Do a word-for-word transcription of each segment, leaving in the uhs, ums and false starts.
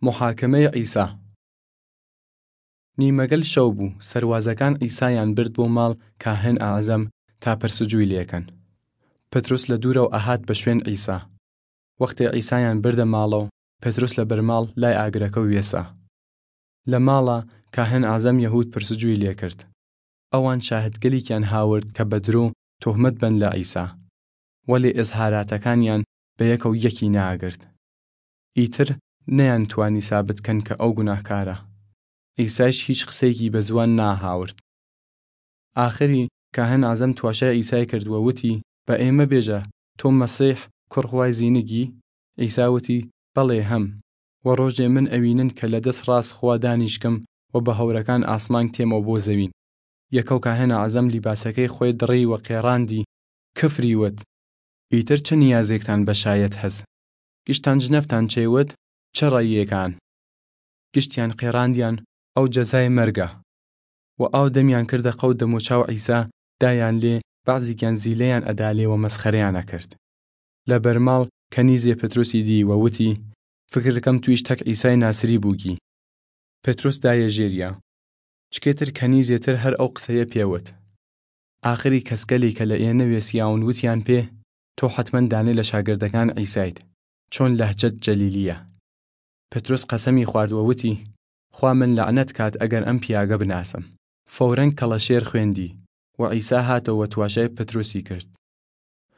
محاکمەی عیسا. نیمەگەل شەو بۊ، سەروازەکان عیسایان برد بۆ ماڵ کاهن ئەعزەم تا پرسجوی لێکەن. پتروس لە دۊرەو ئەهات بە شوێن عیسا. وەختێ عیسایان بردە ماڵەو، پتروس لە بەرماڵ لای ئاگرەکەو وێسا. لە ماڵا کاهن ئەعزەم یەهود پرسجوی لێکرد. ئەوان شاهدگەلیکیان هاورد کە بە درۆ تۆهمەت بەن لە عیسا، وەلێ ئزهاراتەکانیان بە یەکەو یەکی ناگرد. ئیتر نەیان توانی سابت کەن کە ئەو گوناهکارە. عیسایش هیچ قسەیکی بە زوان ناهاورد. ئاخری کاهن ئەعزەم تواشای عیسای کرد و وتی، بە ئێمە بێژە، تۆ مەسیح کوڕ خوای زینگی؟ عیسا وتی، بەڵێ هەم، و ڕۆژێ من ئەوینن کە لە دەس ڕاس خوا دانیشکم و بە هەورەکان ئاسمانگ تێمەو بۆ زەوین. یەکەو کاهن ئەعزەم لیباسەکەی خوەی دڕی و قێڕاندی، کفری وت، ئیتر چ نیازێکتان بە شایەت هەس؟ گشتان جنەفتان چەیوەت؟ چ ڕەیێکان؟ گشتیان قێڕاندیان، ئەو جەزای مەرگە. و ئاو دەمیان کردە قەو دەموچاو عیسا، دایان لێ، بەعزیکیان زیلەیان ئەدا لێ و مەسخەرەیان ئەکرد. لە بەرماڵ کەنیزێ پتروسی دی و وتی، فکرکەم تویش تەک عیسای ناسری بووگی. پتروس دایە ژێریا. چکێتر کەنیزێ تر هەر ئەو قسەیە پێ وت. ئاخری کەسکەلی کە لە ئێنە وێسیاون وتیان پێ، تۆ حەتمەن دانێ لە شاگردەکان عیسایت، چۆن لەهجەت جەلیلیە. پتروس قەسەمی خوارد و وتی، خوا من لەعنەت کات ئەگەر ئەم پیاگە بناسم. فەورەن کەڵەشێر خوێندی، و عیسا هاتەو و تواشای پتروسی کرد.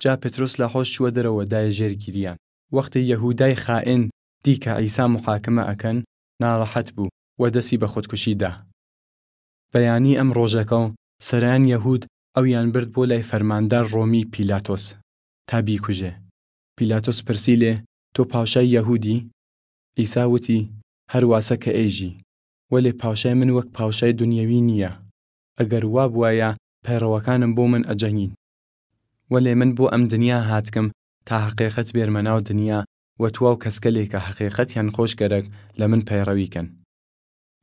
جا پتروس لە حۆش چوە دەرەوە دایە ژێر گیریان. وەختێ یەهودای خائن دی کە عیسا محاکمە ئەکەن، ناڕەحەت بۊ و دەسی بە خودکوشی دا. بەیانی ئەم ڕۆژەکەو سەران یەهود ئەویان برد بۆ لای فەرماندار ڕۆمی پیلاتۆس تا بیکوژێ. پیلاتۆس پرسی لێ، تۆ پاوشای یەهودی؟ عیسا وتی، هەر واسە کە ئێژی، وەلێ پاوشای من وەک پاوشای دونیەوی نییە. ئەگەر وا بوایە، پەیڕەوەکانم بۆ من ئەجەنگین. وەلێ من بۆ ئەم دنیا هاتکم تا هەقێقەت بێرمە ناو دنیا و تواو کەسکەلێ کە هەقێقەتیان خوەش گەرەک لە من پەیڕەوی کەن.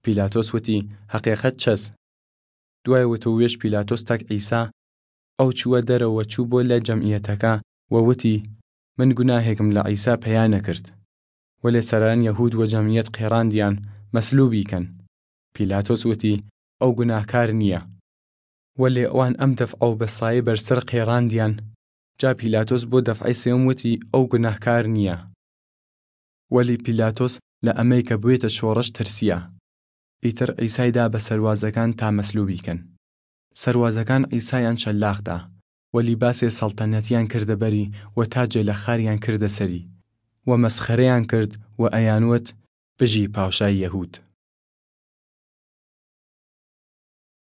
پیلاتۆس وتی، هەقێقەت چەس؟ دوای وتووێژ پیلاتۆس تەک عیسا ئەو چووە دەرەوە چوو بۆ لای جەمعیەتەکە و وتی، من گوناهێکم لە عیسا پەیا نەکرد. وەلێ سەران یەهود و جەمعیەت قێڕاندیان مەسلوبی کەن. پیلاتۆس وتی، ئەو گوناهکار نییە. وەلێ ئەوان ئەم دەفعەو بە سایە بەرسەر قێڕاندیان. جا پیلاتۆس بۆ دەفعەی سێوم وتی، ئەو گوناهکار نییە. وەلی پیلاتۆس لە ئەمەی کە بوێتە شۆڕش ترسیا. ئیتر عیسای دا بە سەروازەکان تا مەسلوبی کەن. سەروازەکان عیسایان شەلاق دا، و لیباسێ سەڵتەنەتیان کردە بەری و تاجێ لە خاریان کردە سەری، و مەسخەرەیان کرد و ئەیان وت، بژی پاوشای یەهود.